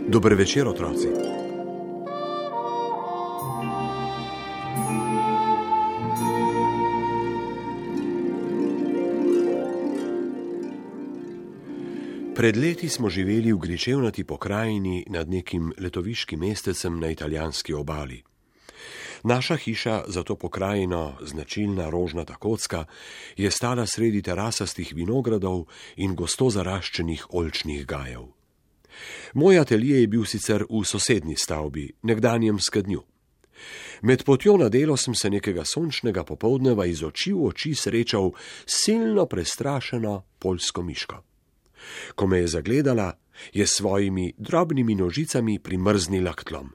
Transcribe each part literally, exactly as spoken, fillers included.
Dober večer, otroci. Pred leti smo živeli v gričevnati pokrajini nad nekim letoviškim mestecem na italijanski obali. Naša hiša za to pokrajino, značilna rožnata kocka, je stala sredi terasastih vinogradov in gosto zaraščenih oljčnih gajev. Moj atelje je bil sicer v sosednji stavbi, nekdanjem Skednju. Med potjo na delo sem se nekega sončnega popoldneva iz oči v oči srečal silno prestrašeno poljsko miško. Ko me je zagledala, je s svojimi drobnimi nožicami primrznila k tlom.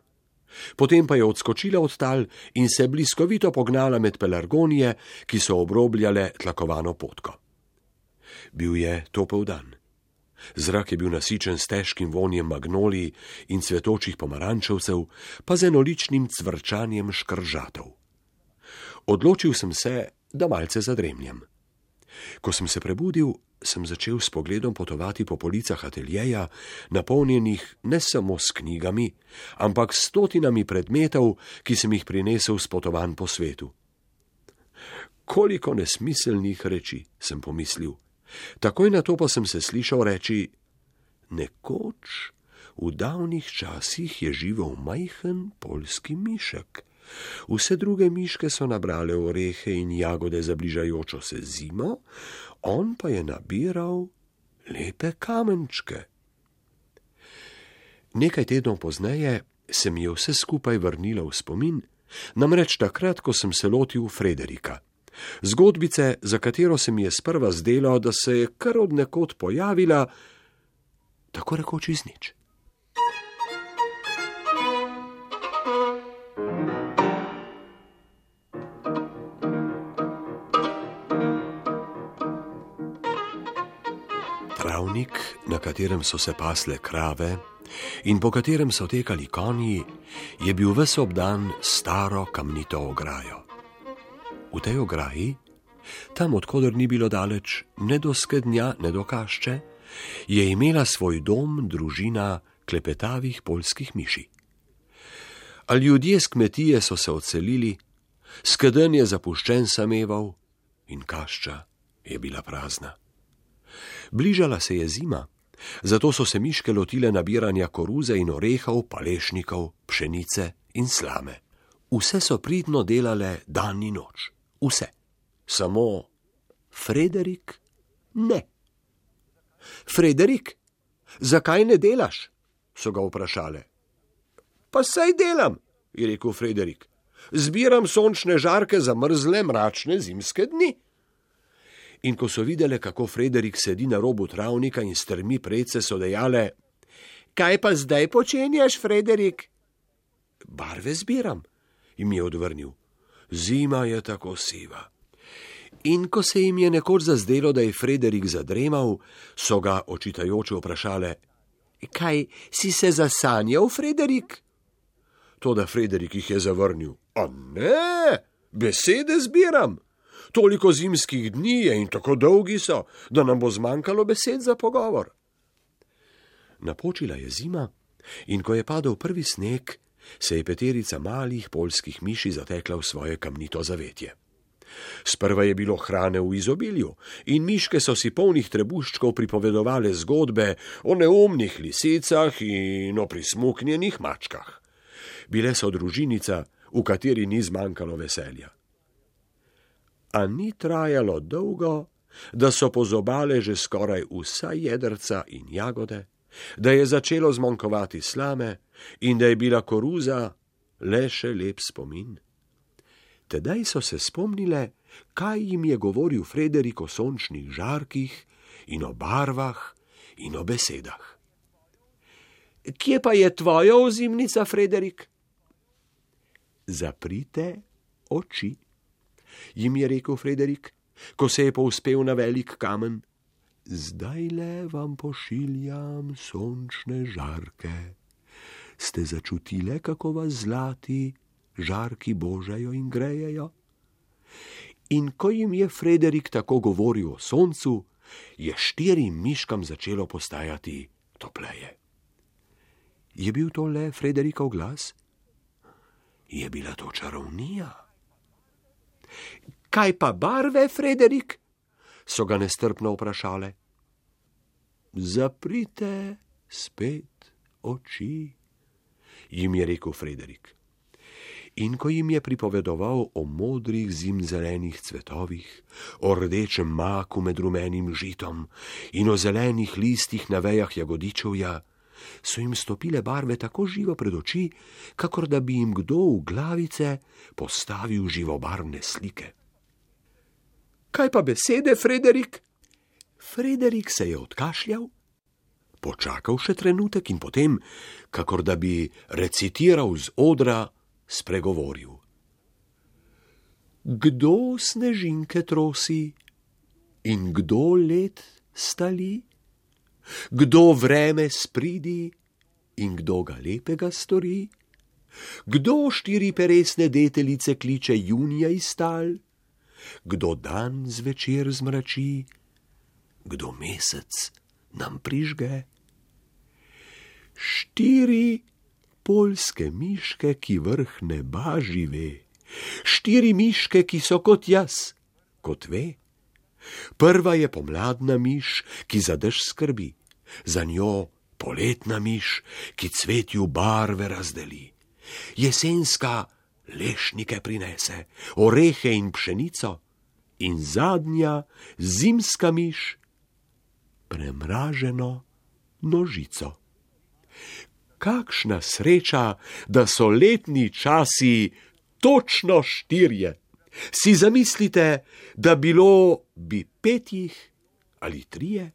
Potem pa je odskočila od tal in se bliskovito pognala med pelargonije, ki so obrobljale tlakovano potko. Bil je topel dan. Zrak je bil nasičen s težkim vonjem magnolij in cvetočih pomarančevcev, pa z enoličnim cvrčanjem škržatov. Odločil sem se, da malce zadremljem. Ko sem se prebudil, sem začel s pogledom potovati po policah ateljeja, napolnjenih ne samo s knjigami, ampak s stotinami predmetov, ki sem jih prinesel s potovanj po svetu. Koliko nesmiselnih reči, sem pomislil. Takoj na to pa sem se slišal reči: nekoč, v davnih časih je živel majhen poljski mišek. Vse druge miške so nabrale orehe in jagode za bližajočo se zimo, on pa je nabiral lepe kamenčke. Nekaj tednov pozneje se mi je vse skupaj vrnilo v spomin, namreč takrat, ko sem se lotil Frederika. Zgodbice, za katero se mi je sprva zdelo, da se je kar od nekod pojavila, tako rekoč iz nič. Travnik, na katerem so se pasle krave in po katerem so tekali konji, je bil ves obdan staro kamnito ograjo. V tej ograji, tam odkoder ni bilo daleč ne do Skednja, ne do Kašče, je imela svoj dom družina klepetavih poljskih miši. A ljudje s kmetije so se odselili, Skedenj je zapuščen sameval in Kašča je bila prazna. Bližala se je zima, zato so se miške lotile nabiranja koruze in orehov, palešnikov, pšenice in slame. Vse so pridno delale dan in noč. Vse. Samo Frederik ne. Frederik, zakaj ne delaš? So ga vprašale. Pa saj delam, je rekel Frederik. Zbiram sončne žarke za mrzle, mračne zimske dni. In ko so videle, kako Frederik sedi na robu travnika in strmi predse, so dejale: kaj pa zdaj počenjaš, Frederik? Barve zbiram, jim je odvrnil. Zima je tako siva. In ko se jim je nekoč zazdelo, da je Frederik zadremal, so ga očitajoče vprašale: kaj, si se zasanjal, Frederik? Toda Frederik jih je zavrnil. A ne, besede zbiram. Toliko zimskih dni je in tako dolgi so, da nam bo zmanjkalo besed za pogovor. Napočila je zima in ko je padel prvi sneg, se je peterica malih poljskih miši zatekla v svoje kamnito zavetje. Sprva je bilo hrane v izobilju in miške so si polnih trebuščkov pripovedovale zgodbe o neumnih lisicah in o prismuknjenih mačkah. Bile so družinica, v kateri ni zmanjkalo veselja. A ni trajalo dolgo, da so pozobale že skoraj vsa jedrca in jagode, da je začelo zmanjkovati slame in da je bila koruza le še lep spomin. Tedaj so se spomnile, kaj jim je govoril Frederik o sončnih žarkih in o barvah in o besedah. Kje pa je tvoja ozimnica, Frederik? Zaprite oči, jim je rekel Frederik, ko se je povzpel na velik kamen. Zdajle vam pošiljam sončne žarke. Ste začutile, kako vas zlati žarki božajo in grejejo? In ko jim je Frederik tako govoril o soncu, je štirim miškam začelo postajati topleje. Je bil to le Frederikov glas? Je bila to čarovnija. Kaj pa barve, Frederik? So ga nestrpno vprašale. Zaprite spet oči, jim je rekel Frederik. In ko jim je pripovedoval o modrih zimzelenih cvetovih, o rdečem maku med rumenim žitom in o zelenih listih na vejah jagodičevja, so jim stopile barve tako živo pred oči, kakor da bi jim kdo v glavice postavil živobarvne slike. Kaj pa besede, Frederik? Frederik se je odkašljal, počakal še trenutek in potem, kakor da bi recitiral z odra, spregovoril. Kdo snežinke trosi in kdo led stali? Kdo vreme spridi in kdo ga lepega stori? Kdo štiri peresne deteljice kliče junija iz tal? Kdo dan zvečer zmrači? Kdo mesec nam prižge? Štiri poljske miške, ki vrh neba žive, štiri miške, ki so kot jaz, kot ve. Prva je pomladna miš, ki za dež skrbi, za njo poletna miš, ki cvetju barve razdeli, jesenska lešnike prinese, orehe in pšenico, in zadnja zimska miš, premraženo nožico. Kakšna sreča, da so letni časi točno štirje. Si zamislite, da bilo bi petih ali trije?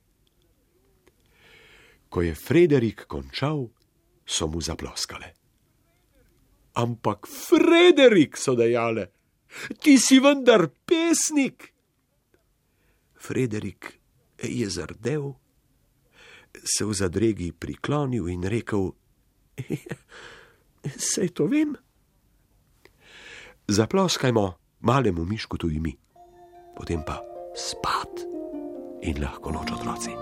Ko je Frederik končal, so mu zaploskale. Ampak Frederik, so dejale, ti si vendar pesnik. Frederik je zardel, se v zadregi priklonil in rekel, saj to vem. Zaploskajmo malemu mišku tudi mi, potem pa spat in lahko noč, otroci.